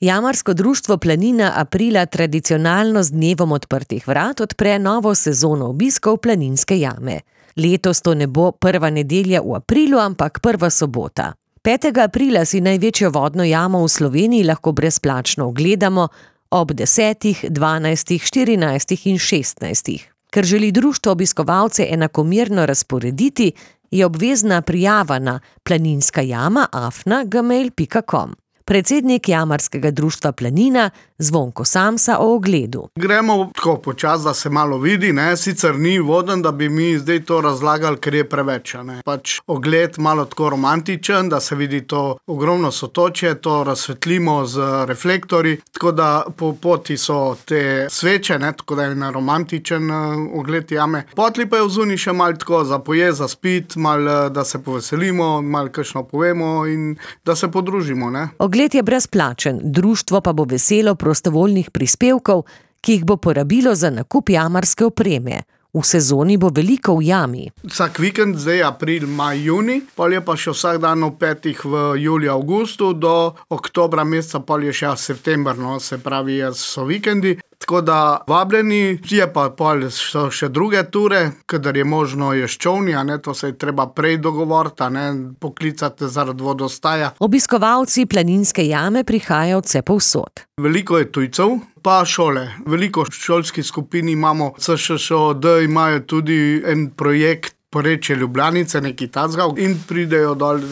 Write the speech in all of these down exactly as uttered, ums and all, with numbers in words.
Jamarsko društvo Planina aprila tradicionalno z dnevom odprtih vrat odpre novo sezono obiskov Planinske jame. Letos to ne bo prva nedelja v aprilu, ampak prva sobota. petega aprila si največjo vodno jamo v Sloveniji lahko brezplačno ogledamo ob desetih, dvanajstih, štirinajstih in šestnajstih. Ker želi društvo obiskovalce enakomerno razporediti, je obvezna prijava na planinska jama afna gmail pika com. Predsednik Jamarskega društva Planina Zvonko Samsa o ogledu. Gremo tako počasi, da se malo vidi, ne, sicer ni voden, da bi mi zdaj to razlagali, ker je preveč, ne. Pač ogled malo tako romantičen, da se vidi to ogromno sotočje, to razsvetlimo z reflektorji, tako da po poti so te sveče, ne, tako da je na romantičen uh, ogled jame. Potli pa je vzuni še malo tako za pojest, za spit, malo da se poveselimo, malo kakšno povemo in da se podružimo, ne. Ogled je brezplačen, društvo pa bo veselo prostovoljnih prispevkov, ki jih bo porabilo za nakup jamarske opreme. V sezoni bo veliko v jami. Vsak vikend, zdaj april, maj, juni, pol je pa še vsak dan v petih v juliju, avgustu, do oktobra meseca, pol je še september, no, se pravi, so vikendi. Tako da vabljeni, je pa pol so še druge ture, kadar je možno je s čolni, a ne, to se je treba prej dogovoriti, a ne, poklicati zaradi vodostaja. Obiskovalci Planinske jame prihajajo vse povsod. Veliko je tujcev, pa šole. Veliko šolskih skupin imamo, C Š Š O D imajo tudi en projekt Porečje Ljubljanice, neki tacga, in pridejo dol,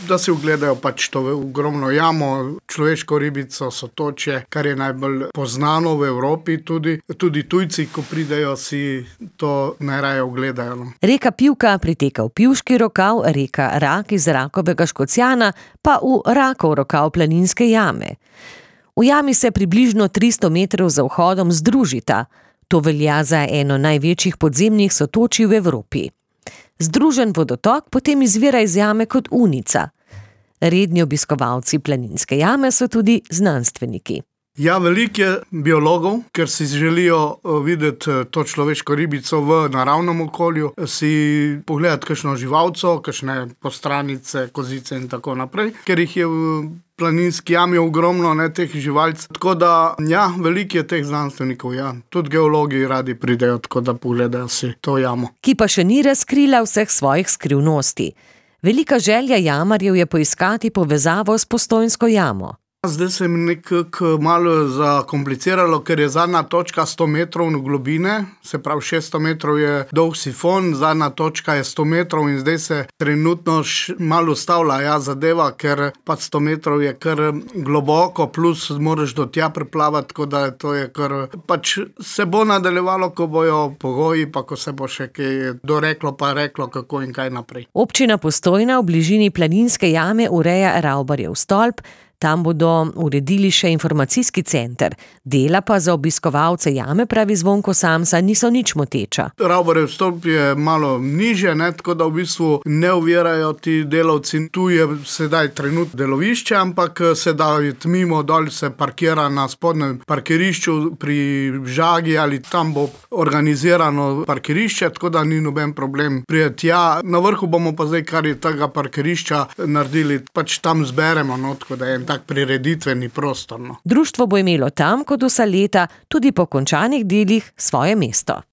da si ogledajo pač to ogromno jamo, človeško ribico, sotočje, kar je najbolj poznano v Evropi tudi. Tudi tujci, ko pridejo, si to najraje ogledajo. No. Reka Pivka priteka v Pivški rokav, reka Rak iz Rakovega Škocjana pa v Rakov rokav Planinske jame. V jami se približno tristo metrov za vhodom združita. To velja za eno največjih podzemnih sotočij v Evropi. Združen vodotok potem izvira iz jame kot unica. Redni obiskovalci Planinske jame so tudi znanstveniki. Ja, veliko je biologov, ker si želijo videti to človeško ribico v naravnem okolju, si pogledati kakšno živalco, kakšne postranice, kozice in tako naprej, ker jih je v Planinski jami ogromno, ne, teh živalc. Tako da, ja, veliko je teh znanstvenikov, ja. Tudi geologi radi pridejo, tako da pogledajo si to jamo. Ki pa še ni razkrila vseh svojih skrivnosti. Velika želja jamarjev je poiskati povezavo s Postojnsko jamo. Zdaj se mi nekako malo zakompliciralo, ker je zadnja točka sto metrov globine, se pravi šeststo metrov je dolg sifon, zadnja točka je sto metrov in zdaj se trenutno malo ustavlja, ja, zadeva, ker pa sto metrov je kar globoko, plus moraš do tja preplavati, tako da to je kar, pač se bo nadaljevalo, ko bojo pogoji, pa ko se bo še kaj doreklo pa reklo, kako in kaj naprej. Občina Postojna v bližini Planinske jame ureja Ravbarjev stolp. Tam bodo uredili še informacijski center. Dela pa za obiskovalce jame, pravi Zvonko Samsa, niso nič moteča. Ravbarjev stolp je malo nižje, ne, tako da v bistvu ne ovirajo ti delavci. Tu je sedaj trenutno delovišče, ampak se da mimo dol se parkira na spodnjem parkirišču pri Žagi ali tam bo organizirano parkirišče, tako da ni noben problem priti tja. Na vrhu bomo pa zdaj, kar je tega parkirišča naredili, pač tam zberemo, no, tako da je tak prireditveni prostor. No. Društvo bo imelo tam, kot vsa leta, tudi po končanih delih svoje mesto.